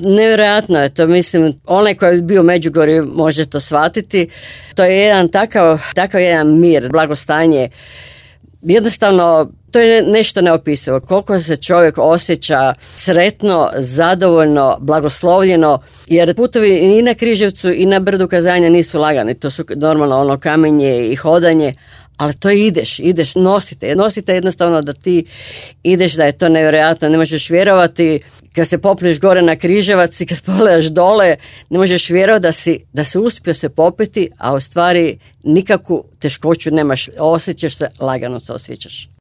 Nevjerojatno je to, mislim, onaj koji je bio u Međugorju može to shvatiti. To je jedan takav jedan mir, blagostanje. Jednostavno, to je nešto neopisivo. Koliko se čovjek osjeća sretno, zadovoljno, blagoslovljeno, jer putovi i na Križevcu i na Brdu Kazanja nisu lagani. To su normalno ono kamenje i hodanje, ali to ideš, nosite jednostavno da ti ideš, da je to nevjerojatno, ne možeš vjerovati kad se popneš gore na Križevac i kad pogledaš dole, ne možeš vjerovati da si uspio se popeti, a u stvari nikakvu teškoću nemaš, osjećaš se, lagano se osjećaš.